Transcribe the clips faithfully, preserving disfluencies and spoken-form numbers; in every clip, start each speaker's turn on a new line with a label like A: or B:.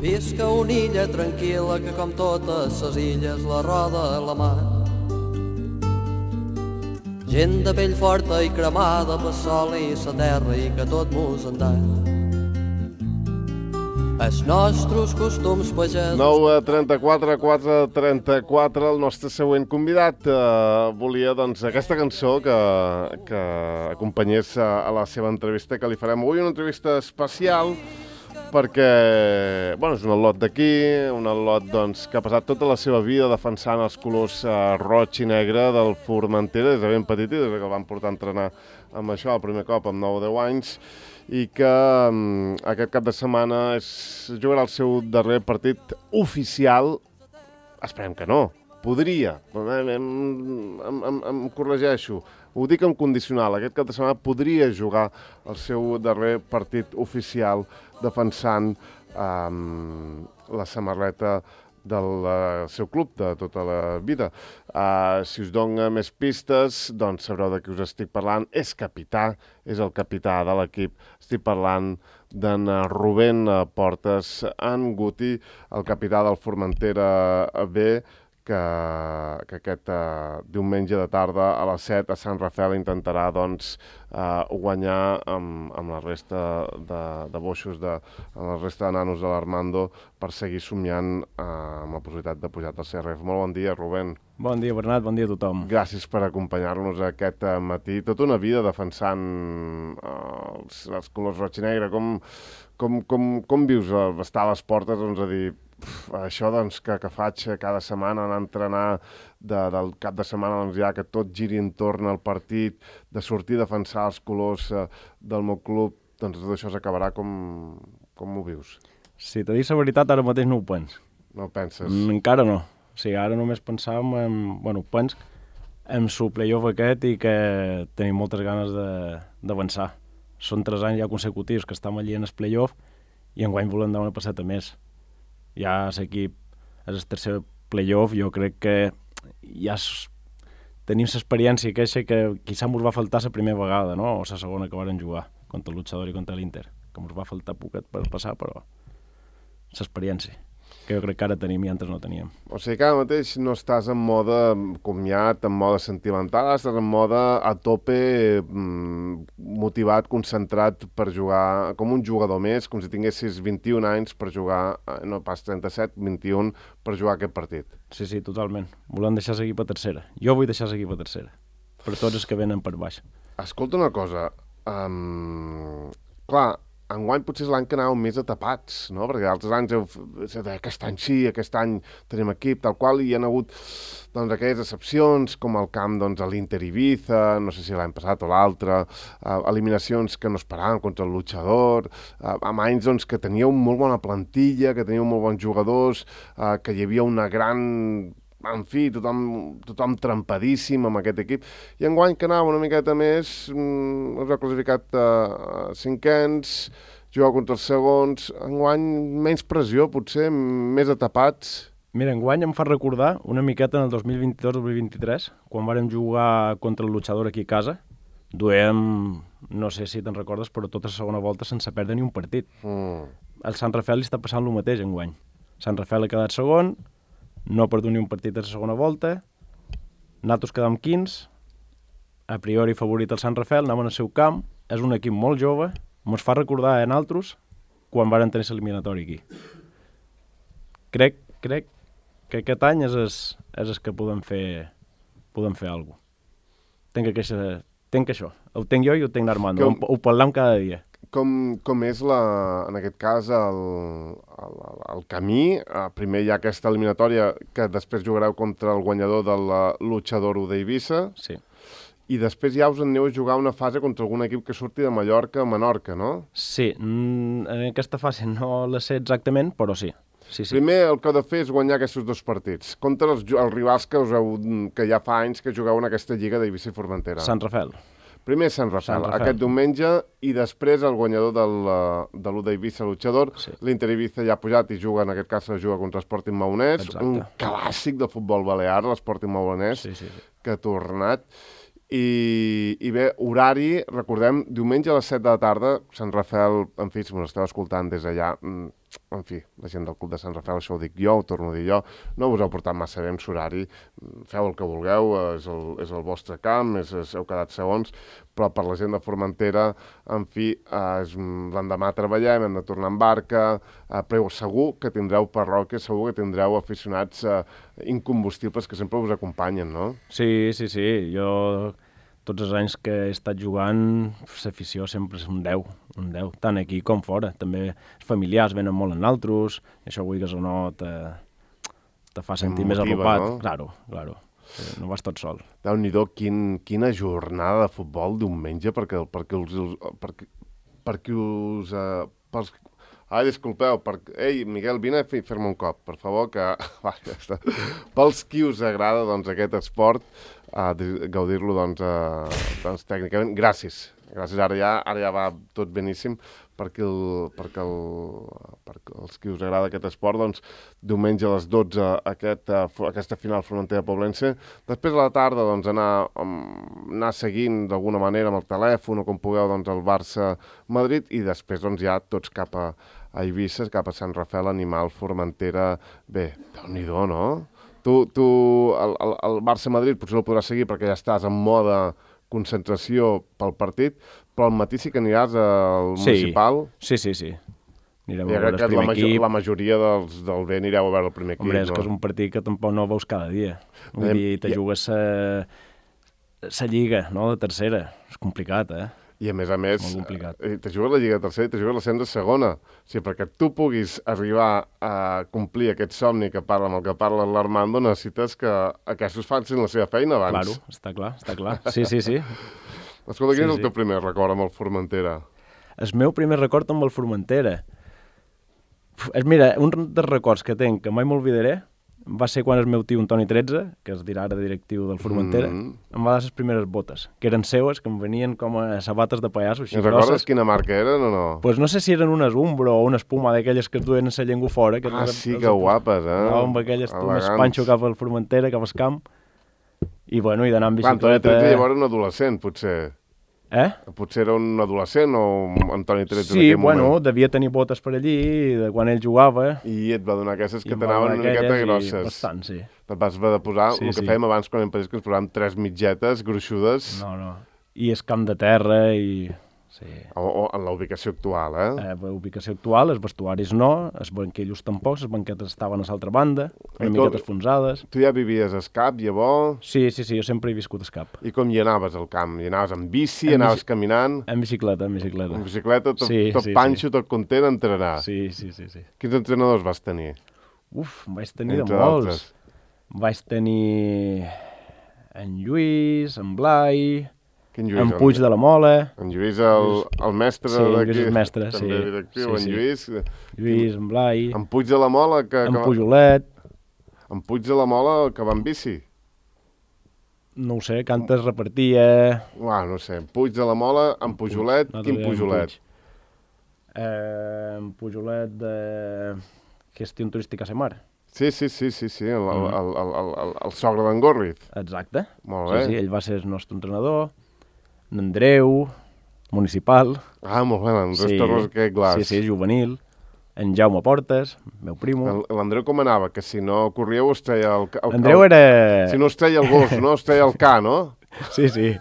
A: Visca una illa tranquil·la que com totes ses illes la roda la mar. Gent de pell forta i cremada pel sol i la terra i que tot mos en els nostres costums pagesos.
B: nou a trenta-quatre, quatre a trenta-quatre, el nostre següent convidat eh, volia doncs aquesta cançó que, que acompanyés a, a la seva entrevista que li farem avui, una entrevista especial perquè, bueno, és un al·lot d'aquí, un al·lot doncs, que ha passat tota la seva vida defensant els colors eh, roig i negre del Formentera des de ben petit i des que el van portar a entrenar amb això el primer cop amb nou o deu anys i que um, aquest cap de setmana és, jugarà el seu darrer partit oficial. Esperem que no, podria, em, em, em, em, em corregeixo, ho dic en condicional, aquest cap de setmana podria jugar el seu darrer partit oficial defensant um, la samarreta del uh, seu club de tota la vida. Uh, si us dono més pistes, doncs sabreu de qui us estic parlant. És capità, és el capità de l'equip. Estic parlant d'en Rubén Portes, en Guti, el capità del Formentera B, que, que aquest uh, diumenge de tarda a les set a Sant Rafel intentarà doncs, uh, guanyar amb, amb la resta de, de boixos, de, amb la resta de nanos de l'Armando per seguir somiant uh, amb la possibilitat de pujar al C R F. Molt bon dia, Rubén.
C: Bon dia, Bernat, bon dia a tothom.
B: Gràcies per acompanyar-nos aquest uh, matí. Tota una vida defensant uh, els, els colors roig i negre. Com, com, com, com vius uh, estar a les portes, doncs, a dir... Uf, això doncs, que, que faig cada setmana, anar a entrenar de, del cap de setmana, doncs, ja que tot giri entorn al partit, de sortir a defensar els colors eh, del meu club, doncs tot això s'acabarà. Com, com ho vius?
C: Si t'he dit la veritat, ara mateix no ho pens.
B: No ho penses?
C: Mm, encara no. O sigui, ara només pensàvem en... Bueno, pens en el playoff aquest i que tenim moltes ganes d'avançar. Són tres anys ja consecutius que estem allí en el playoff i enguany volem dar una passeta més. Ja l'equip és el tercer playoff, jo crec que ja es, tenim l'experiència queixa que quizà ens va faltar la primera vegada, no? O la segona que varen jugar contra el Luchador i contra l'Inter, que ens va faltar poquet per passar, però l'experiència, que jo crec que ara tenim i antes no teníem.
B: O sigui que ara mateix no estàs en mode comiat, en mode sentimental, estàs en mode a tope, motivat, concentrat per jugar com un jugador més, com si tinguessis vint-i-un anys per jugar, no pas trenta-set, vint-i-un, per jugar aquest partit.
C: Sí, sí, totalment. Volem deixar l'equip a tercera. Jo vull deixar l'equip a tercera, per tots els que venen per baix.
B: Escolta una cosa, um, clar, enguany potser és l'any que anàveu més atapats, no? Perquè altres anys heu, aquest any sí, aquest any tenim equip, tal qual, i hi ha hagut doncs, aquelles excepcions, com el camp doncs, a l'Inter Ibiza, no sé si l'any passat o l'altre, eh, eliminacions que no esperàvem contra el Luchador, eh, amb anys doncs, que teníeu molt bona plantilla, que teníeu molt bons jugadors, eh, que hi havia una gran... En fi, tothom, tothom trampadíssim amb aquest equip. I enguany que anava una miqueta més, mmm, us ha classificat a uh, cinquens, jugar contra els segons, enguany menys pressió, potser, més atapats.
C: Mira, enguany em fa recordar una miqueta en el dos mil vint-i-dos dos mil vint-i-tres, quan vàrem jugar contra el Luchador aquí a casa, duem, no sé si te'n recordes, però tota la segona volta sense perdre ni un partit.
B: Mm.
C: El Sant Rafel li està passant el mateix enguany. Sant Rafel ha quedat segon, no ha perdut ni un partit a la segona volta, nosaltres quedam quinze, a priori favorit el Sant Rafel, anem al seu camp, és un equip molt jove, ens fa recordar a nosaltres quan varen tenir l'eliminatori aquí. Crec, crec que aquest any és el, és el que podem fer, podem fer alguna cosa. Tenc, aquesta, tenc això, ho tenc jo i ho tenc l'Armando, com... ho, ho parlem cada dia.
B: Com, com és, la, en aquest cas, el, el, el camí? Primer hi ha aquesta eliminatòria que després jugareu contra el guanyador del Luchador d'Eivissa.
C: Sí.
B: I després ja us aneu a jugar una fase contra algun equip que surti de Mallorca a Menorca, no?
C: Sí, en aquesta fase no la sé exactament, però sí. Sí, sí.
B: Primer el que heu de fer és guanyar aquests dos partits contra els, els rivals que, us heu, que ja fa anys que jugueu en aquesta lliga d'Eivissa i Formentera.
C: Sant Rafel.
B: Primer Sant Rafel, aquest diumenge, i després el guanyador del, de l'U d'Eivissa, Luchador. Sí. L'Inter Ibiza ja ha pujat i juga, en aquest cas, juga contra l'Sporting Maonès. Exacte. Un clàssic del futbol balear, l'Sporting Maonès, sí, sí, sí. Que ha tornat. I, I bé, horari, recordem, diumenge a les set de la tarda, Sant Rafel, en fi, si m'ho esteu escoltant des d'allà, en fi, la gent del Club de Sant Rafael, això ho dic jo, ho torno a dir jo, no us heu portat massa bé amb l'horari, feu el que vulgueu, és el, és el vostre camp, és, és, heu quedat segons, però per la gent de Formentera, en fi, eh, l'endemà treballem, hem de tornar en barca, eh, però segur que tindreu parròquia, segur que tindreu aficionats eh, incombustibles que sempre us acompanyen, no?
C: Sí, sí, sí, jo tots els anys que he estat jugant, l'afició sempre és un deu, un deu, tant aquí com fora. També els familiars venen molt en altres, i això avui que o no te, te fa sentir més arropat.
B: No?
C: Claro, claro, no vas tot sol.
B: Déu-n'hi-do, quin, quina jornada de futbol diumenge, perquè, perquè us... Perquè, perquè us uh, pels... Ai, disculpeu, per... ei, Miguel, vine a fer-me un cop, per favor, que... Va, ja està. Pels qui us agrada doncs, aquest esport, a gaudir-lo doncs, uh, doncs, tècnicament. Gràcies. Gràcies, ara ja, ara ja va tot beníssim perquè, el, perquè, el, perquè els qui us agrada aquest esport, doncs, diumenge a les dotze aquest, uh, aquesta final Formentera-Poblense. Després a la tarda doncs, anar, um, anar seguint d'alguna manera amb el telèfon o com pugueu doncs, el Barça-Madrid i després doncs, ja tots cap a, a Eivissa, cap a Sant Rafael, Animal, Formentera... Bé, déu-n'hi-do, no? Tu, tu el, el, el Barça-Madrid potser no podràs seguir perquè ja estàs en mode concentració pel partit, però al matí sí que aniràs al municipal.
C: Sí, sí, sí. Anirem
B: I
C: a veure el primer
B: la, major,
C: equip.
B: la majoria dels, del bé anireu a veure el primer equip.
C: Hombre, és
B: no?
C: que és un partit que tampoc no veus cada dia. Vull
B: Anem,
C: dir, te
B: i...
C: jugues la lliga, no?, de tercera. És complicat, eh?
B: I a més a més,
C: Molt complicat.
B: eh, te jugues la Lliga tercera i te jugues l'ascens a segona. O sigui, perquè tu puguis arribar a complir aquest somni que parla amb el que parla l'Armando, necessites que aquests facin la seva feina abans.
C: Claro, està clar, està clar. Sí, sí, sí.
B: Escolta, quin
C: Sí,
B: és el
C: sí.
B: teu primer record amb el Formentera?
C: El meu primer record amb el Formentera. Uf, és, mira, un dels records que tinc, que mai m'oblidaré, va ser quan el meu tio, Antoni tretze, que es dirà ara directiu del Formentera,
B: Mm.
C: em va dar les primeres botes, que eren seues, que em venien com a sabates de pallasso, així
B: I recordes
C: grosses.
B: quina marca eren o no?
C: Pues no sé si eren unes Umbro o una espuma d'aquelles que es duen a la llengua fora. Que
B: Ah,
C: les-
B: sí,
C: les-
B: que guapes, eh?
C: Anava amb aquelles, tu, més
B: Elegants.
C: panxo cap al Formentera, cap al camp, i bueno, i d'anar amb
B: Clar, Antoni
C: bicicleta...
B: tretze llavors era un adolescent, potser.
C: Eh?
B: Potser era un adolescent o Antoni tretze en
C: Sí,
B: aquell
C: bueno,
B: moment.
C: devia tenir botes per allí, de quan ell jugava.
B: I et va donar aquestes
C: i
B: que
C: em va
B: t'anaven
C: donar
B: una miqueta
C: aquelles i
B: grosses.
C: Bastant, sí.
B: Te'n vas haver de posar,
C: Sí,
B: el que
C: sí.
B: fèiem abans quan em pareix que ens posàvem tres mitgetes gruixudes
C: No, no. I és camp de terra i... Sí.
B: o, o en la ubicació actual, eh?
C: Eh, la ubicació actual, els vestuaris no, els banquillos tampoc, les banquetes estaven a l'altra banda,
B: I
C: una
B: com-
C: miqueta enfonsades.
B: Tu ja vivies a Escap, llavors,
C: Sí, sí, sí, jo sempre he viscut a Escap.
B: i com hi anaves al camp? Hi anaves amb bici,
C: En
B: anaves
C: bici-
B: caminant,
C: En bicicleta, en bicicleta.
B: en bicicleta, tot,
C: Sí,
B: tot
C: sí,
B: panxo,
C: sí.
B: tot content a entrenar.
C: Sí, sí, sí, sí.
B: Quins entrenadors vas tenir?
C: Uf, en vaig tenir
B: Entre
C: de molts.
B: d'altres.
C: Vaig tenir en Lluís, en Blai,
B: Quin Lluís?
C: en Puig de la Mola,
B: En Lluís, el, el mestre
C: Sí,
B: d'aquí.
C: Lluís és mestre, sí.
B: També directiu,
C: Sí,
B: en
C: sí.
B: Lluís.
C: Lluís, en Blai,
B: En Puig de la Mola, que,
C: en
B: que,
C: Pujolet,
B: en Puig de la Mola, que va en bici.
C: no ho sé, Cantes repartia...
B: Uah, no sé, en Puig de la Mola, en Pujolet,
C: Nosaltres
B: quin
C: dèiem
B: Pujolet?
C: Puig. Eh, en Pujolet de gestió turística a la mar.
B: Sí, sí, sí, sí, sí, el, el,
C: Mm.
B: el, el, el, el sogre d'en Gorriz.
C: Exacte.
B: Molt
C: Sí,
B: bé.
C: sí, ell va ser el nostre entrenador. En Andreu, municipal.
B: Ah, molt bé, l'Andrés
C: Sí.
B: Torres, aquest glaç.
C: Sí, sí, juvenil. En Jaume Portes, meu primo.
B: El- L'Andreu com anava? Que si no corríeu es treia el... el
C: Andreu
B: el,
C: era...
B: Si no es treia el gos, no? Es treia el ca, no?
C: Sí, sí.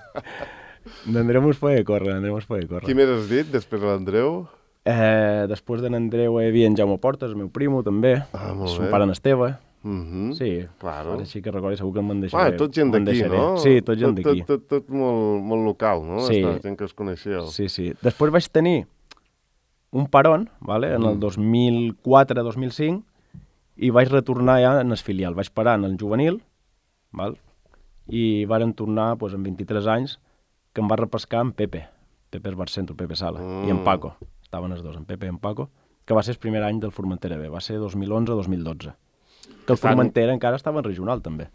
C: L'Andreu mos feia córrer, l'Andreu mos feia córrer.
B: Qui més has dit després de l'Andreu?
C: Eh, després de l'Andreu hi havia en Jaume Portes, el meu primo, també.
B: Ah, molt
C: Son
B: bé.
C: pare en Esteve.
B: Mhm.
C: Sí,
B: Claro.
C: ara sí que recordo, segur que me'n deixaré.
B: Ah, tot gent
C: me'n
B: d'aquí,
C: deixaré.
B: no?
C: Sí, tot gent d'aquí.
B: Tot, tot, tot molt, molt local, no?
C: Sí.
B: Està, gent que us coneixeu.
C: Sí, sí. Després vaig tenir un paron, vale? en el
B: Mm.
C: dos mil quatre dos mil cinc, i vaig retornar ja en el filial. Vaig parar en el juvenil, val? I varen tornar doncs, amb vint-i-tres anys, que em va repescar en Pepe. Pepe es Barcentro, Pepe Sala,
B: Mm.
C: i en Paco. Estaven els dos, en Pepe i en Paco, que va ser el primer any del Formentera B, va ser dos mil onze dos mil dotze. Que el
B: Estan-
C: Formentera encara estava en regional, també.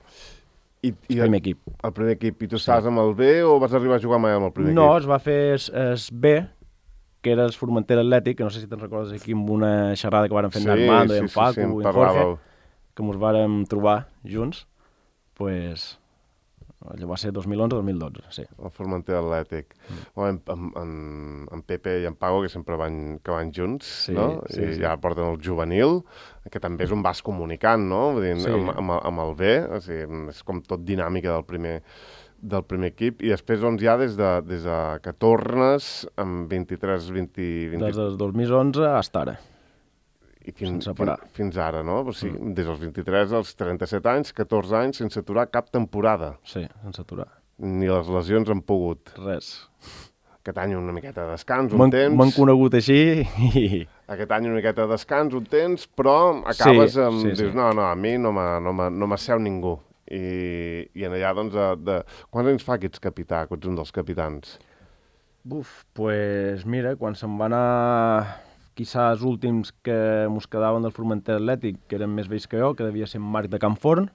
B: I,
C: El
B: i
C: primer equip.
B: El primer equip. I tu estaves amb el B o vas arribar a jugar mai amb el primer
C: No,
B: equip?
C: es va fer es, es B, que era el Formentera Atlètic, que no sé si te'n recordes aquí amb una xerrada que varen fer en Armando i en Paco
B: sí, em
C: i en
B: parlàveu.
C: Jorge, que ens vàrem trobar junts, pues, allò va ser dos mil onze dos mil dotze, sí.
B: El Formentera Atlètic. Mm. Bueno, en, en, en Pepe i en Pago, que sempre van, que van junts,
C: sí,
B: no?
C: Sí,
B: I
C: sí.
B: ja porten el juvenil, que també és un vas comunicant, no? Vull dir,
C: sí.
B: amb, amb, amb el B, o sigui, és com tot dinàmica del primer, del primer equip, i després doncs ja des de, des de que tornes amb vint-i-tres vint... vint...
C: Des del dos mil onze fins ara.
B: I fins,
C: sense parar.
B: Fins, fins ara, no? O sigui,
C: mm.
B: des dels vint-i-tres als trenta-set anys, catorze anys, sense aturar cap temporada.
C: Sí, sense aturar.
B: Ni les lesions han pogut.
C: Res.
B: Aquest any una miqueta de descans, un temps...
C: M'han conegut així i...
B: Aquest any una miqueta de descans, un temps, però acabes
C: sí,
B: amb...
C: Sí,
B: dius,
C: sí.
B: no, no, a mi no m'asseu no ningú. I, I en allà, doncs, de, de... quants anys fa que ets capità, que ets un dels capitans?
C: Buf, pues mira, quan se'n van anar... Quizà els últims que mos quedaven del Formentera Atlètic, que eren més vells que jo, que devia ser Marc de Campforn,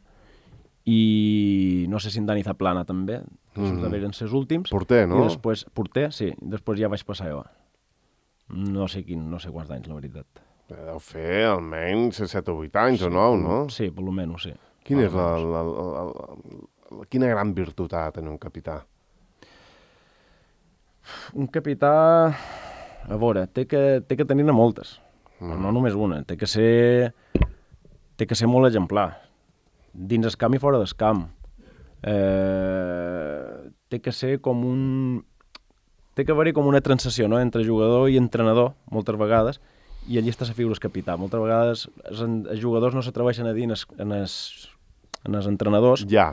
C: i no sé si en Dani Zaplana també, que mm. -hmm. eren els últims.
B: Porter, no?
C: I després, porter, sí, després ja vaig passar jo. No sé quin, no sé quants anys, la veritat.
B: Deu fer almenys set o vuit anys sí, o nou, no?
C: Sí, per lo menys, sí.
B: Quina és la, la, la, la, la, quina gran virtut ha de tenir un capità?
C: Un capità... A veure, té que, té que tenir-ne moltes, mm. però no només una. Té que ser, té que ser molt exemplar, dins el camp i fora del camp. Eh, té que ser com un... Té que haver-hi com una transició, no?, entre jugador i entrenador, moltes vegades, i allí està la figura del capità. Moltes vegades els, els jugadors no s'atreveixen a dir en els, en els, en els entrenadors
B: ja.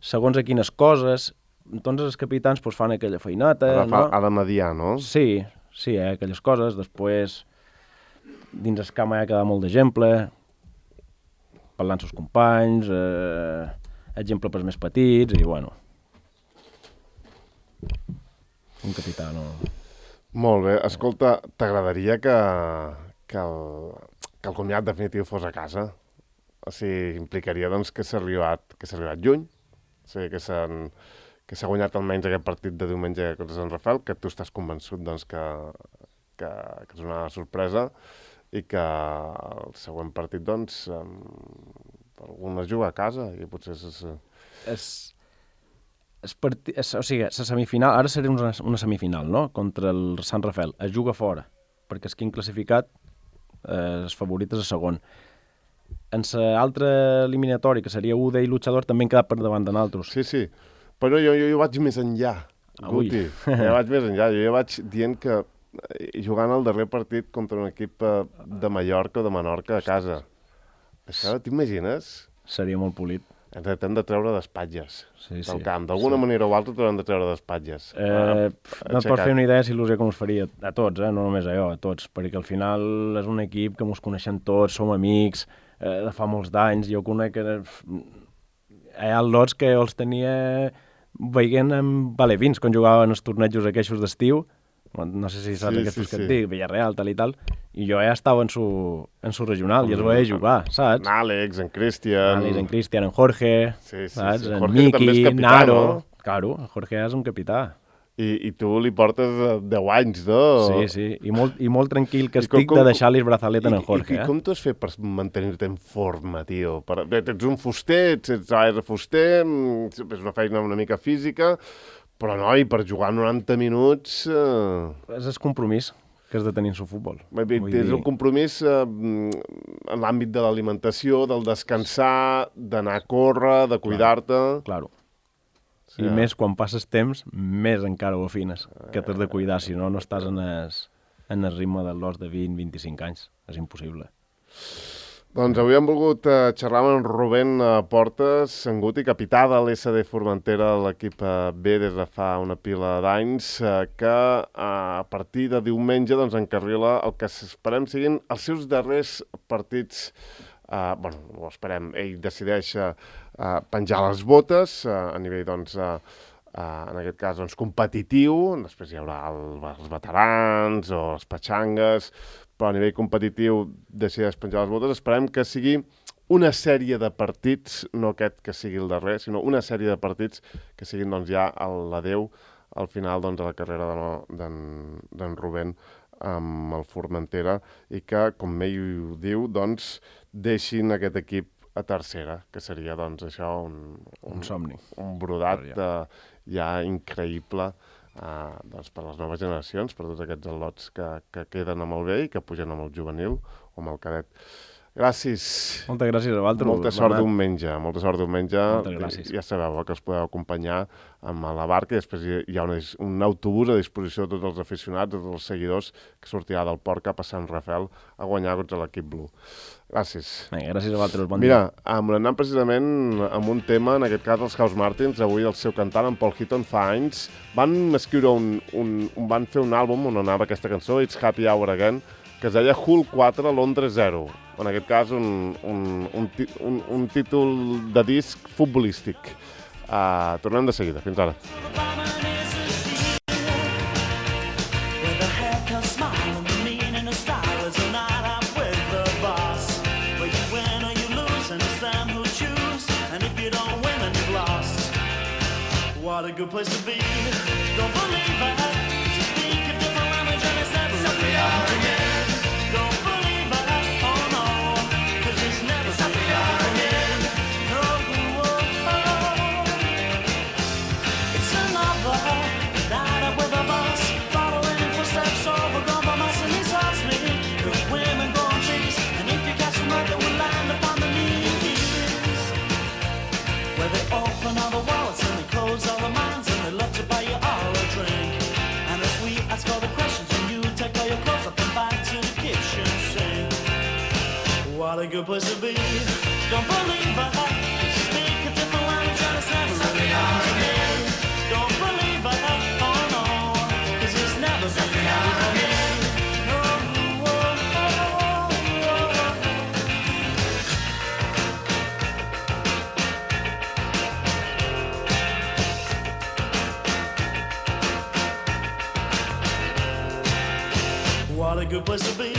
C: segons a quines coses, doncs els capitans pues, fan aquella feinata.
B: Ha de, fa,
C: no?
B: ha de mediar, no?
C: Sí, sí, eh, aquelles coses. Després, dins el camp hi ha quedat molt d'exemple, parlant amb els companys, eh, exemple pels més petits, i bueno... Un capità, no...
B: Molt bé. Escolta, t'agradaria que, que, el, que el comiat definitiu fos a casa? O sigui, implicaria doncs, que s'ha arribat, que s'ha arribat lluny, o sigui, que s'han que s'ha guanyat almenys aquest partit de diumenge contra Sant Rafael, que tu estàs convençut doncs, que, que, que és una sorpresa i que el següent partit doncs, algun es juga a casa i potser és...
C: És... Es parti... es, o sigui, la semifinal, ara seria una, una semifinal, no?, contra el Sant Rafael. Es juga fora, perquè és qui han classificat eh, els favorits a segon. En l'altra eliminatòria, que seria U D i Luchador, també han quedat per davant de nosaltres.
B: Sí, sí, però jo, jo, jo vaig més enllà, Guti. Jo vaig més enllà, jo, jo vaig dient que jugant el darrer partit contra un equip de Mallorca o de Menorca a casa. Això t'imagines?
C: Seria molt polit.
B: Ens hem de treure d'espatlles
C: sí,
B: del
C: sí.
B: camp. D'alguna sí. manera o altra t'haurem de treure d'espatlles.
C: Eh, ah, no et pots fer una idea de l'il·lusió que ens faria a tots, eh? No només a jo, a tots, perquè al final és un equip que ens coneixem tots, som amics, eh, de fa molts d'anys. Jo conec que hi ha lots que els tenia veient amb alevins quan jugaven els tornejos aquells d'estiu. No sé si saps sí, aquests sí, que sí. et dic, Villarreal, tal i tal, i jo ja estava en su, en su regional mm. i els veia jugar, saps?
B: En Àlex, en Cristian...
C: Àlex, en Cristian, en Jorge,
B: sí, sí,
C: saps?
B: Sí.
C: En
B: Jorge
C: Miki,
B: capità,
C: Naro...
B: No?
C: Claro, en Jorge és un capità.
B: I, i tu li portes deu anys, no?
C: Sí, sí, i molt, i molt tranquil que estic com, de deixar-li el braçalet en en Jorge.
B: I, i,
C: eh?
B: i com t'ho has fet per mantenir-te en forma, tio? Per, bé, ets un fuster, ets, ets, ets fuster, és una feina una mica física, però, noi, per jugar noranta minuts... Eh...
C: És el compromís que has de tenir en el futbol.
B: Bé, és dir... un compromís eh, en l'àmbit de l'alimentació, del descansar, d'anar a córrer, de cuidar-te...
C: Claro. Sí, I ja. més quan passes temps, més encara ho afines, que t'has de cuidar, si no, no estàs en el, en el ritme de l'os de vint a vint-i-cinc anys. És impossible.
B: Doncs avui hem volgut uh, xerrar amb en Rubén uh, Portes, en Guti, capità de l'S D Formentera, l'equip uh, B des de fa una pila d'anys, uh, que uh, a partir de diumenge doncs, encarrila el que esperem siguin els seus darrers partits. Uh, bueno, ho esperem, ell decideix uh, uh, penjar les botes uh, a nivell, doncs, uh, uh, en aquest cas, doncs, competitiu. Després hi haurà el, els veterans o les petxangues, però a nivell competitiu decideix penjar les botes. Esperem que sigui una sèrie de partits, no aquest que sigui el darrer, sinó una sèrie de partits que siguin doncs, ja l'adeu al final doncs, de la carrera d'en Rubén amb el Formentera i que, com ell ho diu, doncs, deixin aquest equip a tercera, que seria, doncs, això, un, un,
C: Un somni.
B: un brodat
C: Ja.
B: uh, ja increïble uh, doncs, per les noves generacions, per tots aquests al·lots que, que queden amb el B i que pugen amb el juvenil o amb el cadet. Gràcies.
C: Moltes gràcies a vosaltres.
B: Molta sort
C: Bernat.
B: diumenge, molta sort diumenge.
C: Moltes gràcies.
B: Ja sabeu que els podeu acompanyar amb la barca i després hi ha una, un autobús a disposició de tots els aficionats, de tots els seguidors, que sortirà del port cap a Sant Rafel a guanyar contra l'equip blu. Gràcies.
C: Bé, gràcies a vosaltres, bon
B: Mira,
C: dia.
B: amb anant precisament amb un tema, en aquest cas els House Martins, avui el seu cantant, en Paul Heaton, fa anys, van escriure un, un, un van fer un àlbum on anava aquesta cançó, It's Happy Hour Again, que es deia Hull quatre, Londres zero. En aquest cas, un, un, un, un, un títol de disc futbolístic. Uh, tornem de seguida. Fins ara.
D: What a good place to be. Don't believe it. You speak a different language and it's never happy hour again. Don't believe it. Oh no. Cause it's never happy hour again. No. It's another night up with a bus, following in footsteps overgrown by mice, and he's asked me if women go on trees, and if you catch them right, they will land upon the knees. Where they open all the wallets and they close all the minds, and they love to buy you all a drink. And if we ask all the questions and you take all your clothes up and back to the kitchen sink. What a good place to be. Don't believe it, 'cause you speak a different language and it's never really hard again. Don't believe it, oh no, 'cause it's never really hard again. No, oh, oh, oh, oh. What a good place to be.